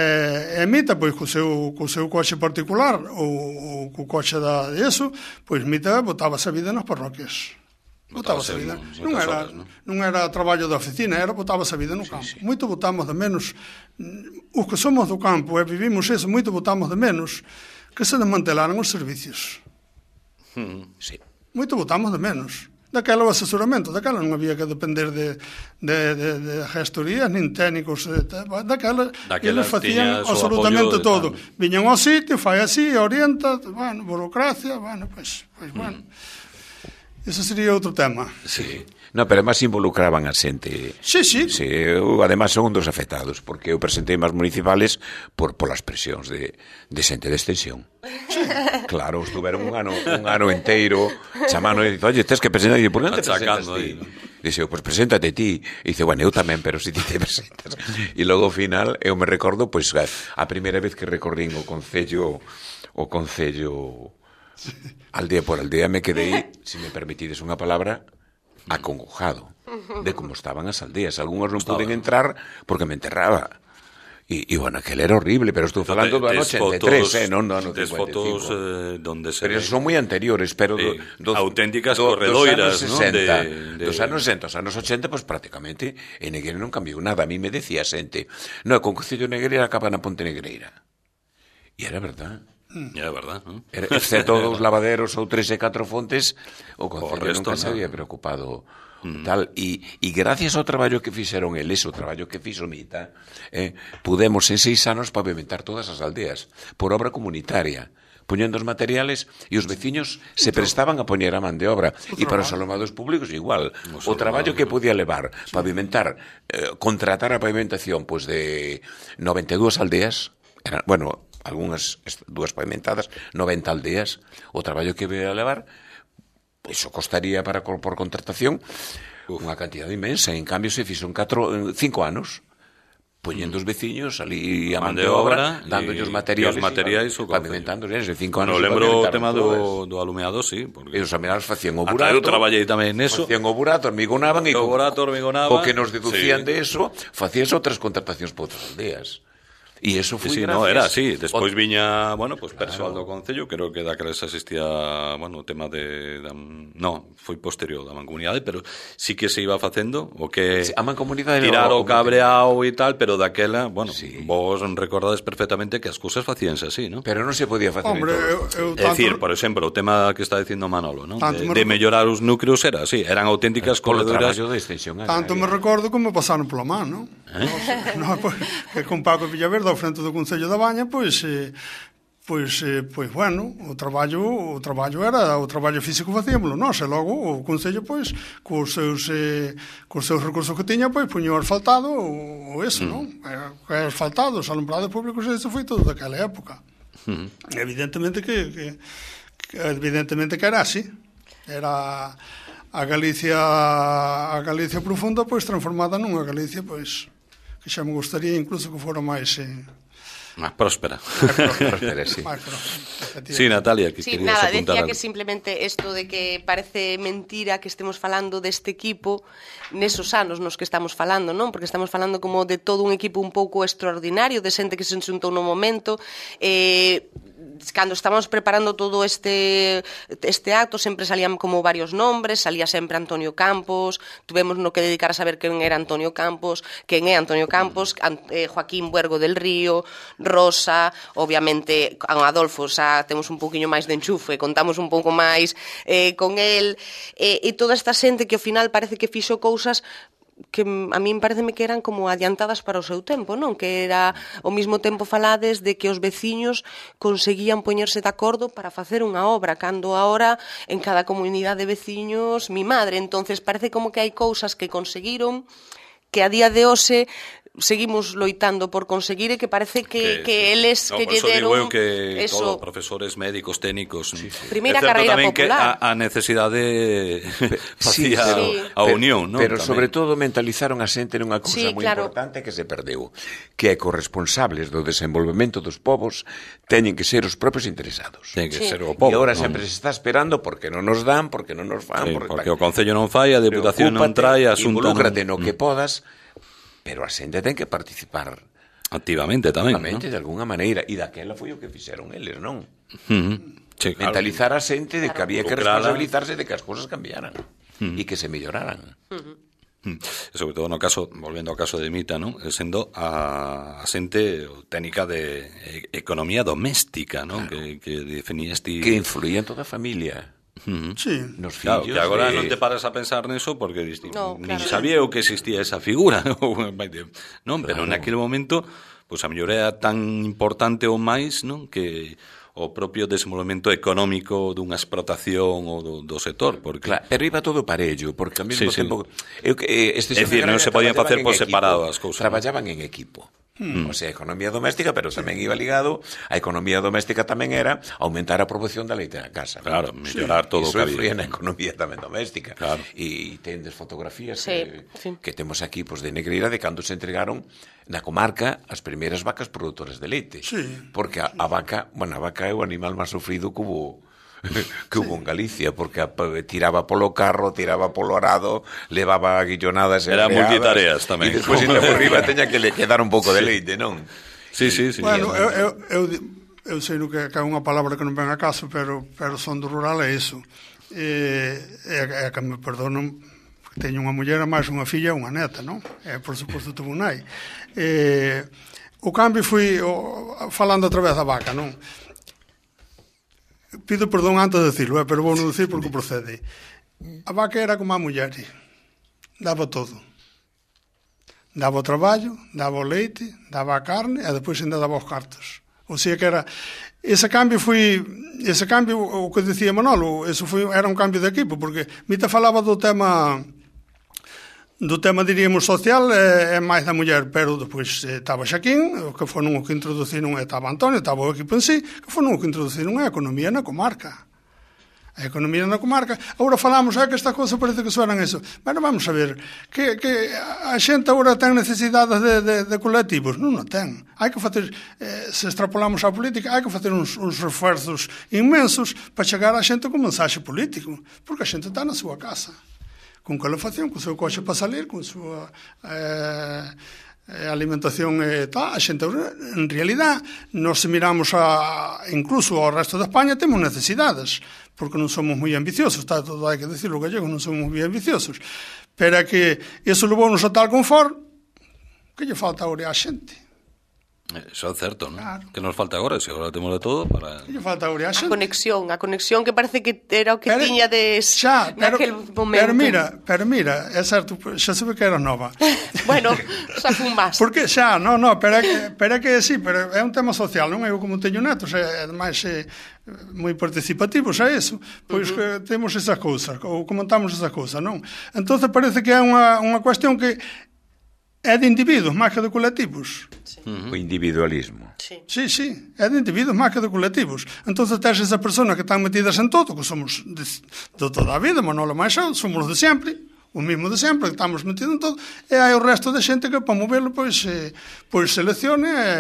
e Mita, pois, co seu, co seu coche particular, ou co coche da, de eso, pois Mita botaba-se a vida nas parroquias. Botábase a vida. Non era, non era traballo da oficina, era botábase a vida no campo. Sí, sí. Moito botamos de menos, os que somos do campo e vivimos eso, moito botamos de menos que se desmantelaran os servicios. Mm, sí. Moito botamos de menos. Daquela o asesoramento, daquela non había que depender de, de, de, de gestorías, nin técnicos, daquela, daquela eles facían absolutamente todo. Viñan ao sitio, fai así, orienta, bueno, burocracia, bueno, pois, pues, pues, bueno. Mm. Ese sería outro tema. Sí. No, pero además involucraban a xente. Sí, sí. Sí, eu, además, son un dos afectados, porque eu presentei máis municipales por polas presións de, de xente de extensión. Sí. Claro, estuveron un ano, un ano enteiro chamando e dice, oye, tens que presentar, e por non te presentas ti? Dice, pois pues, preséntate ti. E dice, bueno, eu tamén, pero si ti te presentas. E logo, ao final, eu me recordo, pois, pues, a primeira vez que recorrín o Concello, o Concello... Aldea por aldea me quedei, se me permitides unha palabra, acongojado de como estaban as aldeas. Algúns non poden entrar porque me enterraba. E, e bueno, aquel era horrible, pero estou falando do ano ochenta e tres, eh, non do ano cincuenta e cinco. Fotos eh, donde se pero ve... son moi anteriores, pero eh, do, do, auténticas do, corredoiras, dos anos sesenta, ¿no? de, de... dos anos sesenta, dos anos ochenta, pues prácticamente en Negreira non cambiou nada. A mí me decía xente, no, con Concello de Negreira acaba na Ponte Negreira. E era verdad. É verdad, non? Excepto os lavaderos ou tres e catro fontes, o Concello nunca se había preocupado mm. tal. E, e gracias ao traballo que fixeron eles, o traballo que fixo Mita, eh, pudemos en seis anos pavimentar todas as aldeas por obra comunitaria, poñendo os materiales e os veciños se prestaban a poñer a man de obra. E para os alomados públicos igual. O traballo que podía levar pavimentar, eh, contratar a pavimentación pois de noventa e dúas aldeas, eran, bueno, algunhas dúas pavimentadas, noventa aldeas, o traballo que veio a levar, iso costaría para por contratación unha cantidad inmensa. En cambio se fixo en cinco anos, poñendo os veciños ali a Man man de de obra, obra, dándolle e- os materiales, e os materiais, o pavimentando, eles de cinco anos. No se lembro o pavimentaron tema todas. do, do alumeado, sí. Porque... E os alumeados facían o Ata burato. eu traballei tamén neso. Facían o burato, hormigonaban e O co, burato hormigonaba. co que nos deducían Sí. de eso, facías outras contratacións por outras aldeas. E eso foi Sí, sí, gracias... no, era así. Despois o... viña, bueno, pues persoal do Concello, creo que daqueles asistía, bueno, o tema de... da, no, foi posterior da mancomunidade, pero sí que se iba facendo o que... Sí, a mancomunidade... Tirar o o, o cabreao e tal, pero daquela, bueno, Sí. vos recordades perfectamente que as cousas facíanse así, ¿no? Pero non se podía facer Hombre, en eu, todos. eu É tanto, dicir, por exemplo, o tema que está dicindo Manolo, ¿no? Tanto De, me de recordo- mellorar os núcleos era así, eran auténticas Polo corredoras. traballo de extensión tanto me agraria. recordo como me pasaron pola man, non? Eh? No, pois, que con Paco Villaverde ao frente do Concello da Baña, pois eh, pois eh, pois bueno, o traballo o traballo era o traballo físico facíamolo nós, e logo o Concello pois cos seus eh, cos seus recursos que tiña, pois puño asfaltado ou eso, non? É asfaltado, os alumbrados públicos, eso foi todo daquela época. Mm. Evidentemente que, que, que evidentemente que era así. Era a Galicia a Galicia profunda pois transformada nunha Galicia pois que xa me gustaría incluso que fora máis eh, Más próspera. Pero sí. máis próxima. Sí, Natalia, que Sí, querías nada, apuntar decía algo. que simplemente esto de que parece mentira que estemos falando deste equipo nesos anos nos que estamos falando, non? Porque estamos falando como de todo un equipo un pouco extraordinario, de xente que se xuntou no momento, eh, cando estábamos preparando todo este este acto sempre salían como varios nombres, salía sempre Antonio Campos, tuvemos no que dedicar a saber quen era Antonio Campos, quen é Antonio Campos, An, eh, Joaquín Buergo del Río, Rosa, obviamente con Adolfo xa temos un pouquiño máis de enchufe, contamos un pouco máis eh, con el, eh, e toda esta xente que ao final parece que fixo cousas que a min pareceme que eran como adiantadas para o seu tempo, non? Que era ao mesmo tempo falades de que os veciños conseguían poñerse de acordo para facer unha obra, cando ahora en cada comunidade de veciños mi madre, entonces parece como que hai cousas que conseguiron que a día de hoxe seguimos loitando por conseguir e que parece que, que, que eles no, que lle deron deron que eso, todo, profesores, médicos, técnicos. Sí, sí. Primeira é certo carreira tamén popular. que a, a necesidade Sí, facía pero, Sí. a unión, ¿no? Pero Tamén. sobre todo mentalizaron a xente nunha cousa Sí, moi claro. importante que se perdeu, que é corresponsables do desenvolvemento dos povos teñen que ser os propios interesados. Ten que Sí. ser o E povo. agora non? sempre se está esperando porque non nos dan, porque non nos fan, Sí, porque, porque o Concello non fai, a Deputación non trae, a Xunta non... involúcrate no que podas, pero a xente ten que participar Activamente tamén, activamente ¿no? de alguna maneira, e daquela foi o que fixeron eles, non? Uh-huh. Sí, claro. Mentalizar a xente de que había que Involucrala. responsabilizarse de que as cousas cambiaran e que se melloraran. Mm. E sobre todo no caso, volvendo ao caso de Mita, ¿no? Sendo a, a xente técnica de e- economía doméstica, ¿no? Claro. Que, que definías ti... Que influía en toda a familia. Uh-huh. Sí. Nos Claro, fillos que agora de... non te paras a pensar neso porque diste, No, nin claro. sabía eu que existía esa figura. Non, pero Claro. naquele momento, pois pues, a mellor era tan importante ou máis, non, que o propio desenvolvemento económico dunha explotación ou do, do sector, porque Claro, pero iba todo parello, porque ao mesmo Sí, sí. tempo eu que eh, este É dicir, non se podían facer por separado as cousas, Traballaban en equipo. Hmm. O sea, economía doméstica, pero tamén iba ligado a economía doméstica tamén era aumentar a produción da leite na casa. claro, mellorar todo o Iso que influía había. na economía tamén doméstica. Claro. E tendes fotografías Sí, que, sí. que temos aquí pues, de Negreira de cando se entregaron na comarca as primeiras vacas produtoras de leite. Sí. Porque a, a vaca, bueno, a vaca é o animal máis sufrido que hubo que hubo en Galicia, porque a, tiraba polo carro, tiraba polo arado, levaba guillonadas e Era freadas, multitareas tamén. E despois ainda por riba teña que le quedar un pouco de leite, non? Sí, sí, sí. Bueno, eu, eu, eu, eu sei no que, que é unha palabra que non ven a caso, pero, pero son do rural é iso. E, é, é que me perdonan, teño unha muller, máis unha filla e unha neta, non? E, por suposto, tuvo un nai. E, o cambio foi, o, falando outra vez da vaca, non? Pido perdón antes de decirlo, eh, pero vou non decir porque procede. A vaca era como a muller, daba todo. Daba o traballo, daba o leite, daba a carne e depois ainda daba os cartos. O sea que era ese cambio foi ese cambio o que decía Manolo, eso foi era un cambio de equipo, porque Mita falaba do tema do tema, diríamos, social é, é máis da muller, pero depois eh, estaba Xaquín, que foron o que introduciron, estaba Antonio, estaba o equipo en sí, que foron o que introduciron a economía na comarca. a economía na comarca. Agora falamos, é que esta cousa parece que suenan eso. Bueno, vamos a ver, que, que a xente agora ten necesidades de, de, de colectivos? Non a ten. Hai que facer, eh, se extrapolamos a política, hai que facer uns, uns refuerzos inmensos para chegar a xente con mensaxe político, porque a xente está na súa casa, con calefacción, con o seu coche para salir, con a súa eh, alimentación e tal. A xente, en realidad, nos se miramos a, incluso ao resto de España, temos necesidades, porque non somos moi ambiciosos, está todo, hai que decirlo, gallegos non somos moi ambiciosos, pero é que iso levou-nos a tal confort que lle falta agora a xente. Eso é certo, non? Claro. Que nos falta agora, se agora temos de todo para... Que lle falta agora a A xente. conexión, a conexión que parece que era o que Pero, tiña des xa, pero, naquel momento. Pero mira, pero mira, é certo, xa se ve que era nova. Bueno, xa fun máis. Porque xa, non, non, pero é que, pero é que sí, pero é un tema social, non? Eu como teño netos, é, ademais é moi participativos a eso, pois uh -huh. que temos esa cousa, ou comentamos esa cousa, non? Entonces parece que é unha, unha cuestión que é de individuos máis que de colectivos. Sí. Uh -huh. O individualismo. Sí. Sí, sí, é de individuos máis que de colectivos. Entonces tens esa persona que están metidas en todo, que somos de, de toda a vida, Manolo máis eu, somos de sempre, o mismo de sempre, que estamos metidos en todo, e hai o resto de xente que para movelo pois, eh, pois seleccione e...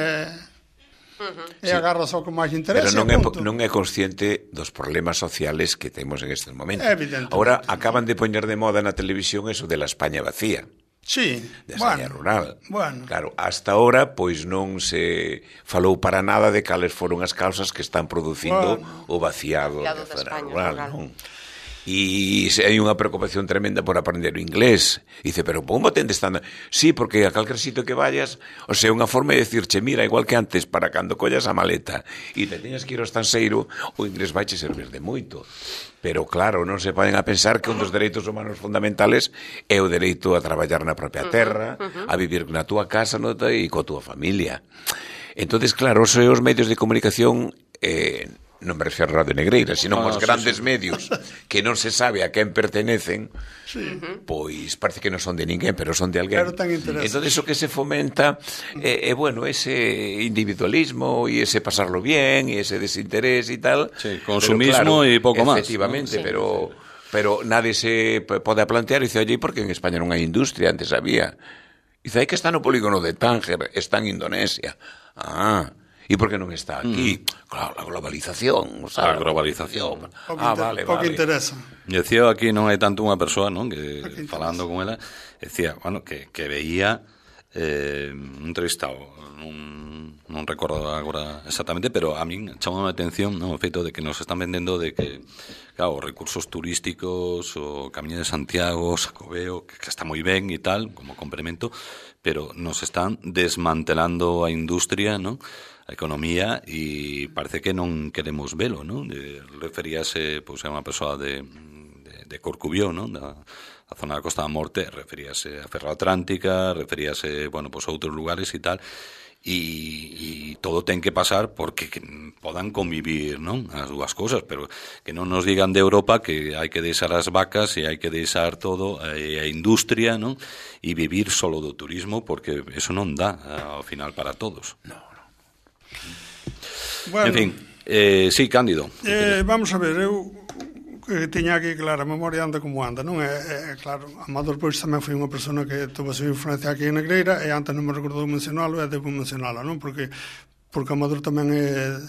Uh -huh. E sí. Agarra só que máis interesa. Pero non é, non é consciente dos problemas sociales que temos en estes momentos. Ahora acaban de poñer de moda na televisión eso de la España vacía. Sí, de España bueno, rural. Bueno. Claro, hasta ahora pois non se falou para nada de cales foron as causas que están producindo bueno. o vaciado, vaciado da zona rural, rural. Non? E hai unha preocupación tremenda por aprender o inglés. Dice, pero como tende estando? Sí, porque a calquer sitio que vayas, o sea, unha forma de decirche, mira, igual que antes, para cando collas a maleta e te teñas que ir ao estanseiro, o inglés vaiche servir de moito. Pero claro, non se poden a pensar que un dos dereitos humanos fundamentales é o dereito a traballar na propia terra, uh -huh, uh -huh. a vivir na túa casa no, e coa túa familia. Entonces, claro, os, os medios de comunicación... Eh, non me refiro a Radio Negreira, sino ah, os grandes sí, sí. medios que non se sabe a quen pertenecen, sí. pois parece que non son de ninguén, pero son de alguén. Entón, eso que se fomenta é, eh, eh, bueno, ese individualismo e ese pasarlo bien e ese desinterés e tal. Sí, consumismo e claro, pouco máis. Efectivamente, ¿no? Sí, pero, sí, sí. pero nadie se pode plantear e dice, oye, porque en España non hai industria, antes había. Dice, hai que está no polígono de Tánger, está en Indonesia. Ah, e por que non está aquí? Mm. Claro, a globalización. A globalización. Ah, vale, vale. Pouco interesa. E decía aquí non hai tanto unha persoa, non, que falando con ela, decía, bueno, que, que veía eh, un entrevistado, non, non recordo agora exactamente, pero a min chamou a atención, non, o feito de que nos están vendendo de que, claro, os recursos turísticos, o Camiño de Santiago, o Xacobeo, que, que está moi ben e tal, como complemento, pero nos están desmantelando a industria, non? A economía, e parece que non queremos velo, non? De, referíase, pois, a unha persoa de, de, de Corcubión, non? Da, da zona da Costa da Morte, referíase a Ferroatlántica, referíase, bueno, pois, a outros lugares e tal, e, e todo ten que pasar porque que podan convivir, non? As dúas cousas, pero que non nos digan de Europa que hai que deixar as vacas e hai que deixar todo a, a industria, non? E vivir solo do turismo, porque eso non dá ao final para todos. No. Bueno, en fin, eh, sí, Cándido. Eh, vamos a ver, eu que tiña aquí, claro, a memoria anda como anda, non? É, é claro, Amador pois tamén foi unha persona que tuvo a súa influencia aquí en Negreira, e antes non me recordou mencionalo, e debo mencionala, non? Porque porque Amador tamén é,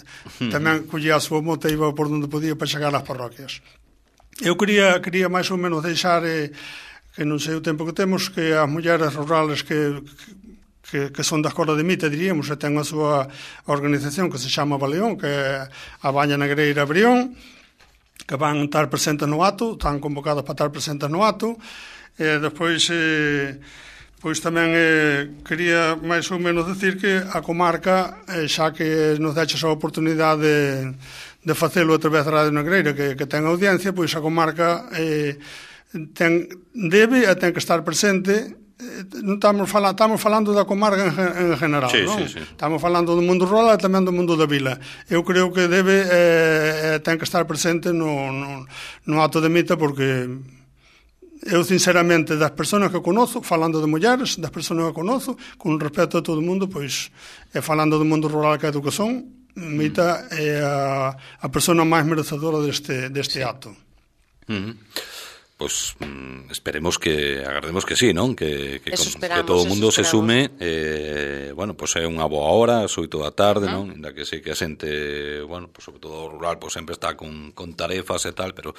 tamén collía a súa moto e iba por onde podía para chegar ás parroquias. Eu quería, quería máis ou menos deixar, eh, que non sei o tempo que temos, que as mulleres rurales que... que Que, que son da escola de Mita, diríamos, e ten a súa organización que se chama Baleón, que é a Baña Negreira Brión, que van estar presentes no acto, están convocadas para estar presentes no acto, e despois eh, pois tamén eh, quería máis ou menos decir que a comarca, eh, xa que nos deches a oportunidade de, de facelo a través da Radio Negreira, que, que ten audiencia, pois a comarca eh, ten, debe e ten que estar presente. Non estamos falando, estamos falando da comarca en, en general, sí, non? Sí, sí. Estamos falando do mundo rural e tamén do mundo da vila. Eu creo que debe eh, ten que estar presente no, no, no acto de Mita, porque eu sinceramente das persoas que conozo, falando de mulleres, das persoas que conozo, con respecto a todo o mundo, pois, e falando do mundo rural que é educación, Mita é a, a persona máis merecedora deste, deste sí. acto. Uh-huh. Pois pues, esperemos que agardemos que sí, non? Que, que, con, que todo o mundo se sume eh, bueno, pois pues é unha boa hora as oito da tarde, uh-huh. non? Inda que sei que a xente, bueno, pues sobre todo o rural, pois pues sempre está con, con tarefas e tal, pero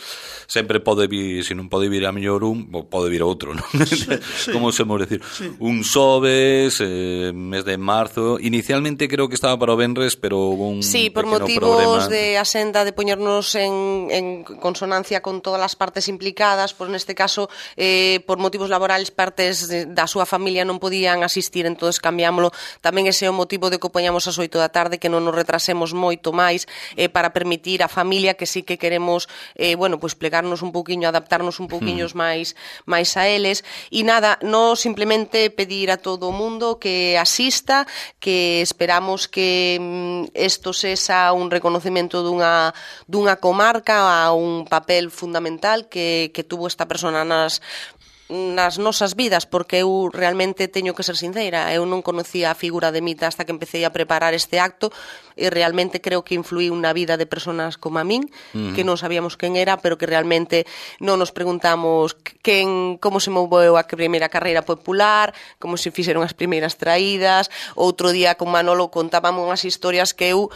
sempre pode vir, se non pode vir a mellor un, pode vir outro, non? Sí, sí. Como se mos decir, sí. Un xoves, eh, mes de marzo, inicialmente creo que estaba para o venres, pero hubo un sí, por motivos problema de axenda de poñernos en, en consonancia con todas as partes implicadas. Pois neste caso, eh, por motivos laborales, partes de, da súa familia non podían asistir, entonces cambiámoslo. Tamén ese é o motivo de que o poñamos ás oito da tarde, que non nos retrasemos moito máis, eh, para permitir a familia que sí que queremos, eh, bueno, pues plegarnos un pouquiño, adaptarnos un pouquiños hmm. máis máis a eles. E nada, no simplemente pedir a todo o mundo que asista, que esperamos que isto mm, sexa un reconocemento dunha, dunha comarca a un papel fundamental que, que tuvo esta persona nas nas nosas vidas, porque eu realmente teño que ser sincera, eu non conocía a figura de Mita hasta que empecé a preparar este acto e realmente creo que influí na vida de personas como a min, uh-huh. que non sabíamos quen era, pero que realmente non nos preguntamos quen, como se moveu a primeira carreira popular, como se fixeron as primeiras traídas. Outro día con Manolo contábamos unhas historias que eu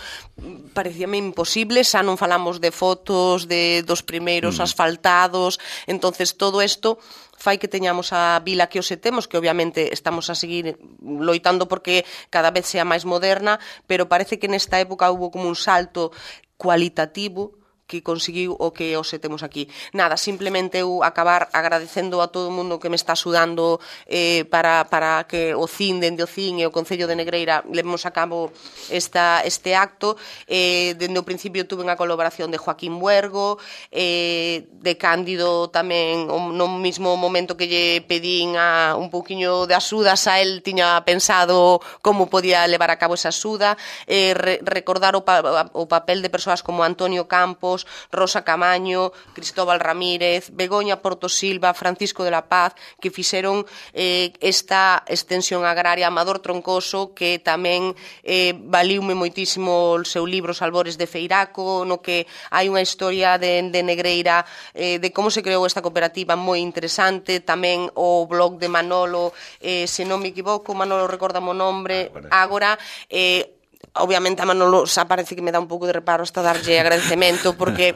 parecíame imposible, xa non falamos de fotos de dos primeiros uh-huh. asfaltados, entonces todo isto fai que teñamos a vila que hoxe temos, que obviamente estamos a seguir loitando porque cada vez sea máis moderna, pero parece que nesta época hubo como un salto cualitativo que conseguiu o que hoxe temos aquí. Nada, simplemente eu acabar agradecendo a todo o mundo que me está axudando eh, para, para que o C I N, dende o C I N e o Concello de Negreira levemos a cabo esta, este acto. Eh, dende o principio tuve unha colaboración de Joaquín Buergo, eh, de Cándido tamén, no mismo momento que lle pedín a un pouquiño de axuda, xa el tiña pensado como podía levar a cabo esa axuda. Eh, re, recordar o, pa, o papel de persoas como Antonio Campos, Rosa Camaño, Cristóbal Ramírez, Begoña Porto Silva, Francisco de la Paz, que fixeron eh, esta extensión agraria. Amador Troncoso, que tamén eh, valiume moitísimo o seu libro Os Albores de Feiraco, no que hai unha historia de, de Negreira, eh, de como se creou esta cooperativa moi interesante. Tamén o blog de Manolo, eh, se non me equivoco, Manolo recórdame o nombre, Ágora, eh, obviamente a Manolo xa parece que me dá un pouco de reparo hasta darlle agradecemento porque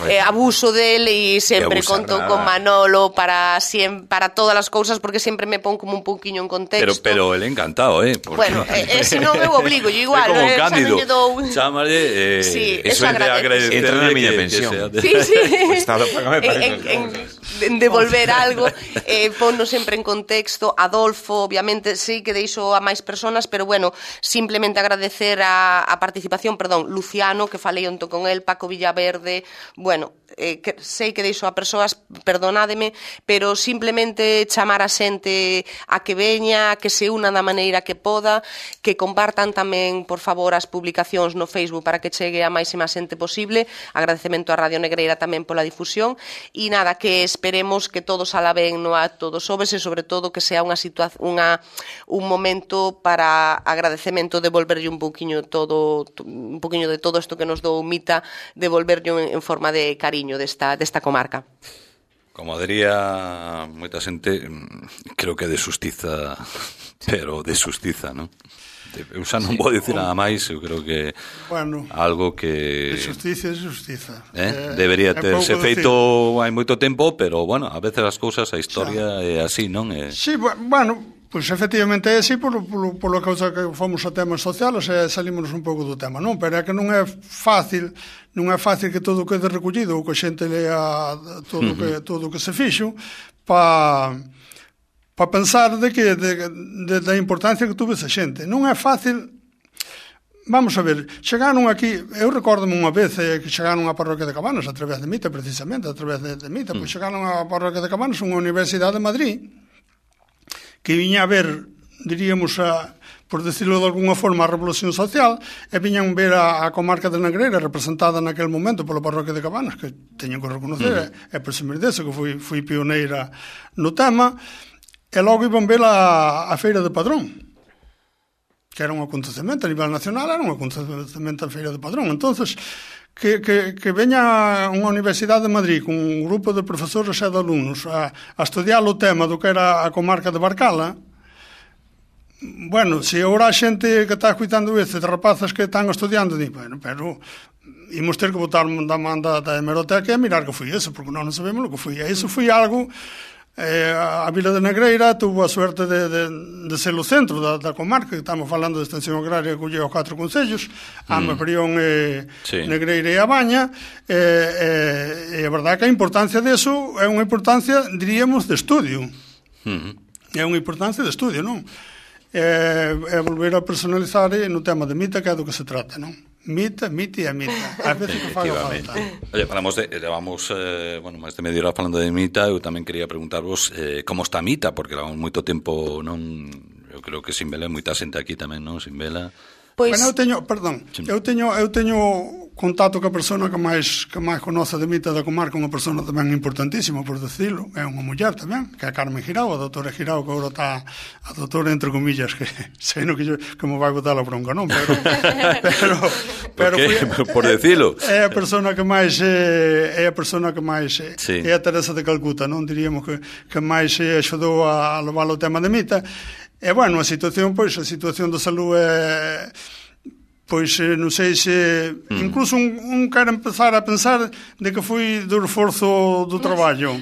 eh, abuso dele e sempre conto nada. Con Manolo para siempre, para todas as cousas, porque sempre me pon como un pouquiño en contexto. Pero pero el encantado, eh, porque... Bueno, eh, eh, se non eu obligo, yo igual, é como eh, Cándido. Dou... Chámale, eh, sí, eso é de agradecer. Entra na miña pensión. De... Sí, sí. O Estado págame para en, en, en devolver algo, eh, ponno sempre en contexto. Adolfo, obviamente, sí que deixo a máis personas, pero bueno, simplemente agradecer a, a participación, perdón, Luciano, que falei onto con el, Paco Villaverde, bueno, eh, que sei que deixo a persoas, perdonádeme, pero simplemente chamar a xente a que veña, a que se una da maneira que poda, que compartan tamén, por favor, as publicacións no Facebook para que chegue a máxima xente posible. Agradecemento a Radio Negreira tamén pola difusión, e nada, que esperemos que todo sala ben no acto do xoves e sobre todo que sea unha situación, unha, un momento para agradecemento, devolverlle un pouquiño todo, un pouquiño de todo isto que nos dou Mita, devolverlle en forma de cariño desta, desta comarca. Como diría moita xente, creo que de xustiza, pero de xustiza, non? Eu xa non vou dicir nada máis, eu creo que bueno, algo que... De justicia é justiza. Eh? Debería terse feito hai moito tempo, pero, bueno, a veces as cousas, a historia é así, non? É... Sí, bueno... Pois efectivamente é así polo, polo, polo causa que fomos a temas sociales e salimos un pouco do tema, non? Pero é que non é fácil, non é fácil que todo quede recollido ou que a xente lea todo o que, todo que se fixo para pa pensar de que de, de, da importancia que tuve esa xente. Non é fácil. Vamos a ver, chegaron aquí, eu recórdome unha vez eh, que chegaron á parroquia de Cabanas a través de Mita, precisamente, a través de, de Mita, mm. pois chegaron á parroquia de Cabanas, unha universidade de Madrid, que viña a ver, diríamos, a, por decirlo de alguna forma, a revolución social, e viñan ver a, a comarca de Negreira representada naquele momento pola parroquia de Cabanas, que teñen que reconocer, uh-huh. e presumir deso, que fui, fui pioneira no tema, e logo iban ver a, a feira de Padrón. que era un acontecemento a nivel nacional, era un acontecemento a Feira de Padrón. Entonces, que, que, que veña unha Universidade de Madrid con un grupo de profesores e de alumnos a, a estudiar o tema do que era a comarca de Barcala, bueno, se agora a xente que está escuitando isto, de rapazas que están estudiando, di, bueno, pero imos ter que botar da man da, da hemeroteca e mirar que foi eso, porque non sabemos o que foi. E iso foi algo... Eh, a Vila de Negreira tuvo a suerte de, de, de ser o centro da, da comarca, que estamos falando de extensión agraria que colle os catro concellos, mm. Ama, Prión, e, sí. Negreira e A Baña, e, e, e a verdade que a importancia deso é unha importancia, diríamos, de estudio. Mm. É unha importancia de estudio, non? É, é volver a personalizar no tema de mita, que é do que se trata, non? Mita, mita e a mita. A veces que faga falta. Oye, falamos de, levamos, eh, bueno, máis de media hora falando de mita, eu tamén quería preguntarvos eh, como está a mita, porque levamos moito tempo, non, eu creo que sin vela, moita xente aquí tamén, non, sin vela. Pois... Bueno, eu teño, perdón, sí. eu teño eu teño contacto ca persona que máis que máis conoce de mita da comarca, unha persona tamén importantísima, por decirlo, é unha muller tamén, que é Carmen Girao, a doutora Girao, que agora está a doutora entre comillas, que sei no que, yo, que me vai botar a bronca, non? Pero, pero, pero fui, por decirlo. É a persona que máis é a persona que máis sí. é a Teresa de Calcuta, non? Diríamos que, que máis axudou a levar o tema de mita. E, bueno, a situación, pois, a situación da salud é, pois, non sei se, mm. incluso un, un quer empezar a pensar de que foi do reforzo do traballo.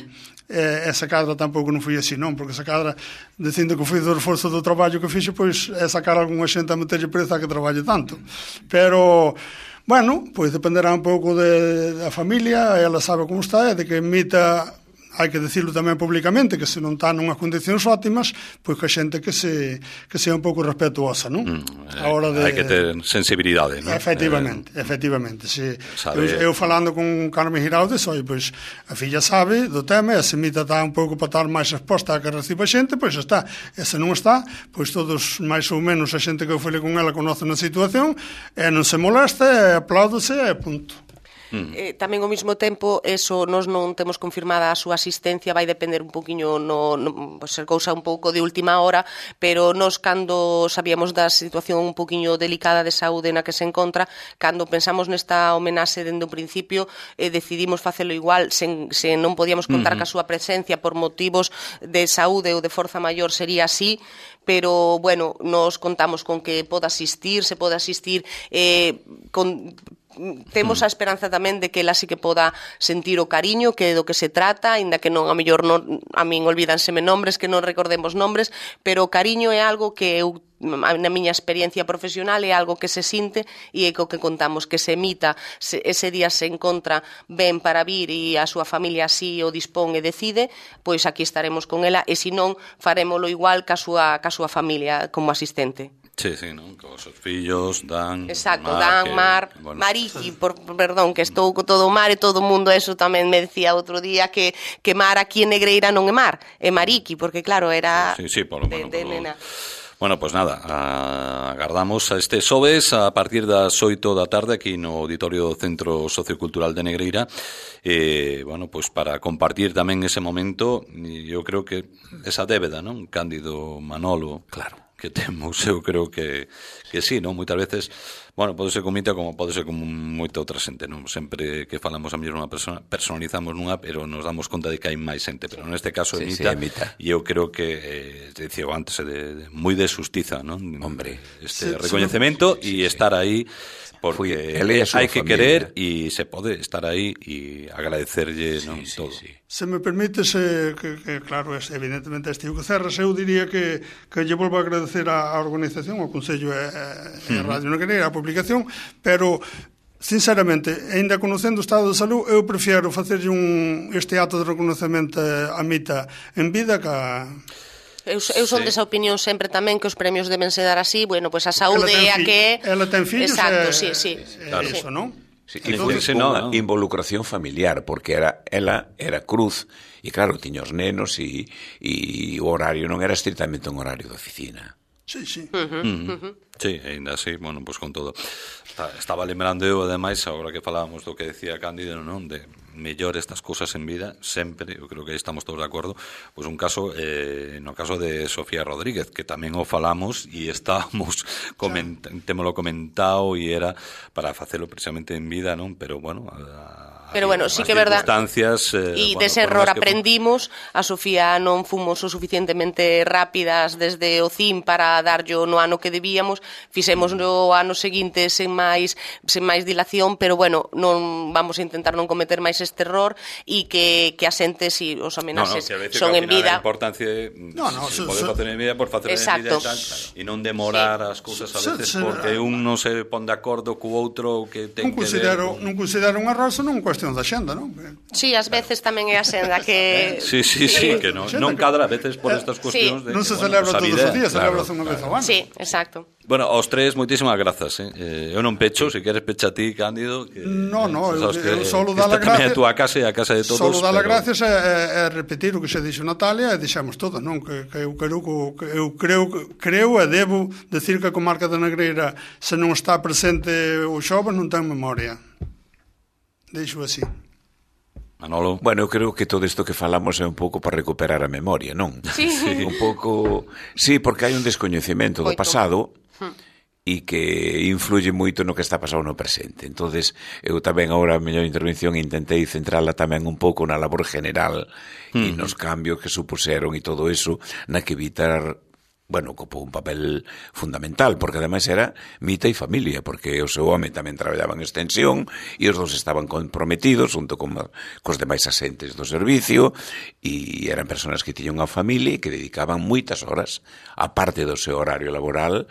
E, esa cadra tampouco non foi así, non? Porque esa cadra, dicindo que foi do reforzo do traballo que fixe, pois, é sacar algunha xente a meterlle preza que traballe tanto. Pero... Bueno, pois dependerá un pouco de, da familia, ela sabe como está, e de que emita... hai que dicirlo tamén públicamente, que se non está nunhas condicións óptimas, pois que a xente que se que sea un pouco respetuosa, non? Mm, a hora de... Hai que ter sensibilidade, non? Efectivamente, eh, efectivamente. Se, eu, eu falando con Carmen Girao, dixo, pois a filla sabe do tema, e se mita está un pouco para estar máis exposta a que reciba a xente, pois está. E se non está, pois todos, máis ou menos, a xente que eu falei con ela conoce na situación, e non se molesta, e apláudose, e punto. Mm. Eh, tamén ao mesmo tempo, eso nós non temos confirmada a súa asistencia, vai depender un poquinho, no, no, pues, ser cousa un pouco de última hora, pero nós cando sabíamos da situación un poquinho delicada de saúde na que se encontra, cando pensamos nesta homenaxe dende o principio, eh, decidimos facelo igual, sen, se non podíamos contar mm-hmm. ca súa presencia por motivos de saúde ou de forza maior, sería así, pero, bueno, nos contamos con que poda asistir, se pode asistir eh, con... Temos a esperanza tamén de que ela sí que poda sentir o cariño que é do que se trata, aínda que non, a mellor non, a min olvídanseme nombres, que non recordemos nombres, pero o cariño é algo que eu, na miña experiencia profesional, é algo que se sinte e é co que contamos, que se emita, se, ese día se encontra ben para vir e a súa familia así o dispón e decide, pois aquí estaremos con ela, e se non, farémolo igual ca súa, ca súa familia como asistente. Sí, sí, non? Con os seus fillos, Dan, exacto, Mar, Dan, que, Mar, bueno. Mariki, por, perdón, que estou co todo o mar e todo o mundo, eso tamén me decía outro día que, que Mar aquí en Negreira non é Mar, é Mariki, porque claro, era sí, sí, por lo de, bueno, de por nena. Bueno, pues nada, a, agardamos a este xoves a partir das oito da tarde aquí no Auditorio do Centro Sociocultural de Negreira, eh, bueno, pues para compartir tamén ese momento, eu creo que esa débeda, non? Cándido, Manolo, claro, que temos, eu creo que, que sí, non? Moitas veces, bueno, pode ser con mita como pode ser con moita outra xente, non? Sempre que falamos a mellor unha persona, personalizamos nunha, pero nos damos conta de que hai máis xente, pero neste caso é sí, mita, sí, mita, e eu creo que, eh, dicía antes, de, de, moi de xustiza, non? Hombre, este sí, recoñecemento e sí, sí, estar aí, porque hai que querer e se pode estar aí e agradecerlle, sí, non, sí, todo. Sí. Se me permite, se, que, que claro, es, evidentemente este que cerras, eu diría que, que lle volvo a agradecer a, a organización, ao Consello e a Radio Negreira, a publicación, pero sinceramente, ainda conocendo o estado de salud, eu prefiero facerlle un, este acto de reconocemento a mita en vida que a... Eu, eu son sí. desa opinión sempre tamén que os premios deben se dar así, bueno, pois pues a saúde é a que... Ela ten fillos, exacto, é, sí, sí. É, claro. Eso, non? Sí, e foi unha involucración familiar, porque era ela era cruz, e claro, tiña os nenos, e, e o horario non era estritamente un horario de oficina. Sí, sí. Uh-huh. Uh-huh. Sí, ainda así, bueno, pois pues con todo. Estaba lembrando eu, ademais, agora que falábamos do que decía Cándido, non? De mellor estas cousas en vida, sempre, eu creo que aí estamos todos de acordo, pois un caso, eh, no caso de Sofía Rodríguez, que tamén o falamos e estábamos, coment temolo comentado e era para facelo precisamente en vida, non? Pero, bueno, a, Pero bueno, sí que é verdad. Circunstancias, eh, e bueno, dese error que... aprendimos. A Sofía non fomos o suficientemente rápidas desde o C I M para darllo no ano que debíamos. Fixemos no ano seguinte sen máis sen máis dilación, pero bueno, non vamos a intentar non cometer máis este error e que, que a xente, si os homenaxes no, no, son en vida. A importancia de no, no, se so, pode so, facer en vida por facer en vida e tal, e non demorar sí. as cousas a veces so, so, porque un non se pon de acordo co outro que ten non considero, que ver. Non considero un error, senón cuestión da xenda, non? Sí, ás veces tamén é a senda que... Sí, sí, sí, que non, non cadra a veces por estas cuestións. Sí. De non se celebra bueno, pues todos os días, celebra unha vez ao ano. Sí, exacto. Bueno, aos tres, moitísimas grazas. Eh? Eu non pecho, se queres pecha ti, Cándido. Que, no, no, eu, eu solo dá a gracias. Esta tamén é a túa casa e a casa de todos. Solo dá pero... gracias é, é repetir o que se dixo Natalia e dixemos todo, non? Que, que eu, creo, que eu creo, creo e debo decir que a comarca da Negreira, se non está presente o xoves, non ten memoria. Deixo así. Manolo. Bueno, eu creo que todo isto que falamos é un pouco para recuperar a memoria, non? Sí. Un pouco... Sí, porque hai un descoñecemento do pasado e que influye moito no que está pasando no presente. Entonces, eu tamén agora a miña intervención intentei centrala tamén un pouco na labor general mm. e nos cambios que supuseron e todo eso, na que evitar... bueno, ocupou un papel fundamental, porque ademais era mita e familia, porque o seu home tamén traballaba en extensión e os dos estaban comprometidos junto con cos demais asentes do servicio e eran persoas que tiñan unha familia e que dedicaban moitas horas, a parte do seu horario laboral,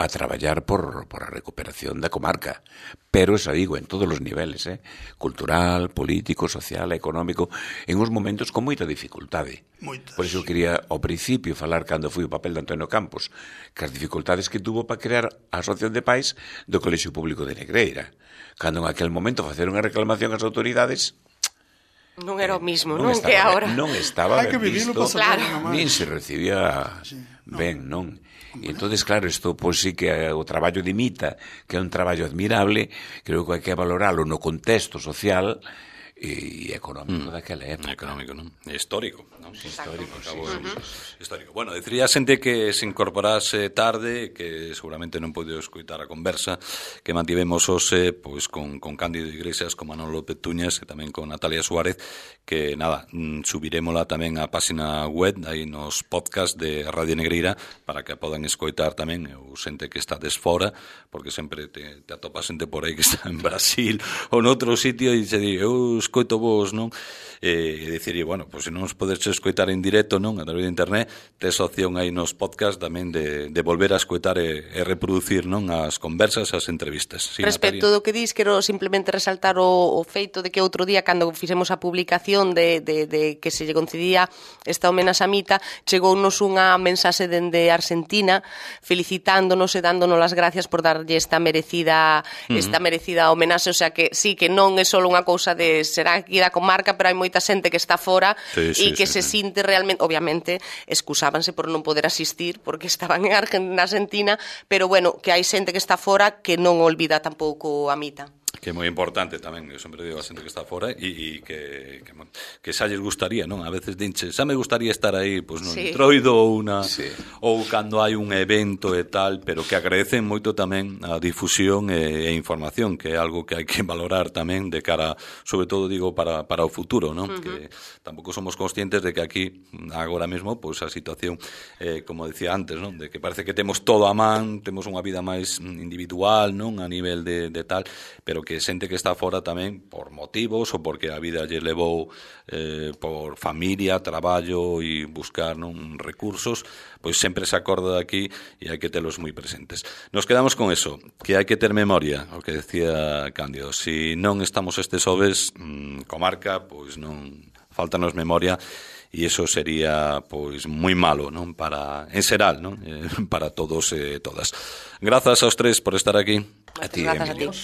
a traballar por, por a recuperación da comarca. Pero, xa digo, en todos os niveles, eh? cultural, político, social, económico, en uns momentos con moita dificultade. Moitas. Por iso eu quería, ao principio, falar cando foi o papel de Antonio Campos, que as dificultades que tuvo para crear a Asociación de Pais do Colexio Público de Negreira. Cando en aquel momento facer unha reclamación ás autoridades... Non era o mismo, non, non estaba, que agora. Non estaba ben visto, claro. nin se recibía sí, no. ben, non? E entonces, claro, isto pois sí que o traballo de Mita, que é un traballo admirable, creo que hai que valoralo no contexto social e económico mm. daquela época. Económico, non? Histórico, non? Histórico, sí, Acabo, sí, sí, sí, sí. Histórico. Bueno, decía xente que se incorporase tarde, que seguramente non podido escoitar a conversa que mantivemos hoxe pois con, con Cándido Iglesias, con Manolo López Tuñas e tamén con Natalia Suárez, que nada, subirémola tamén á página web, aí nos podcast de Radio Negreira, para que podan escoitar tamén o xente que está desfora, porque sempre te, te atopas xente por aí que está en Brasil ou noutro sitio e se di, eu escoito vos, non? E dicir, bueno, pois se non os podes escoitar en directo, non? A través de internet, tes opción aí nos podcast tamén de, de volver a escoitar e, e reproducir, non? As conversas, as entrevistas. Sí, respecto Natalia? do que dis, quero simplemente resaltar o, o feito de que outro día, cando fixemos a publicación de, de, de que se lle concedía esta homenaxe a Mita, chegounos unha mensaxe dende Argentina felicitándonos e dándonos as gracias por darlle esta merecida uh-huh. esta merecida homenaxe, o sea que sí, que non é só unha cousa de será aquí da comarca, pero hai moita xente que está fora e sí, sí, que sí, se sí. sinte realmente, obviamente, excusábanse por non poder asistir porque estaban en Argentina, pero bueno, que hai xente que está fora que non olvida tampouco a Mita. Que é moi importante tamén, eu sempre digo a xente que está fora e, e que, que, que xa lles gustaría, non? A veces dinche, xa me gustaría estar aí, pois non, sí. Troido ou una sí. ou cando hai un evento e tal, pero que agradecen moito tamén a difusión e, e información, que é algo que hai que valorar tamén de cara, sobre todo digo para, para o futuro, non? Uh-huh. Que tampouco somos conscientes de que aquí agora mesmo, pois a situación eh, como decía antes, non? De que parece que temos todo a man, temos unha vida máis individual, non? A nivel de, de tal, pero que xente que está fora tamén por motivos ou porque a vida lle levou eh, por familia, traballo e buscar non recursos, pois sempre se acorda de aquí e hai que telos moi presentes. Nos quedamos con eso, que hai que ter memoria, o que decía Cándido. Si non estamos estes xoves, mmm, comarca, pois non faltanos memoria e iso sería pois moi malo, non, para en xeral, non, eh, para todos e todas. Grazas aos tres por estar aquí. A ti, Emilio.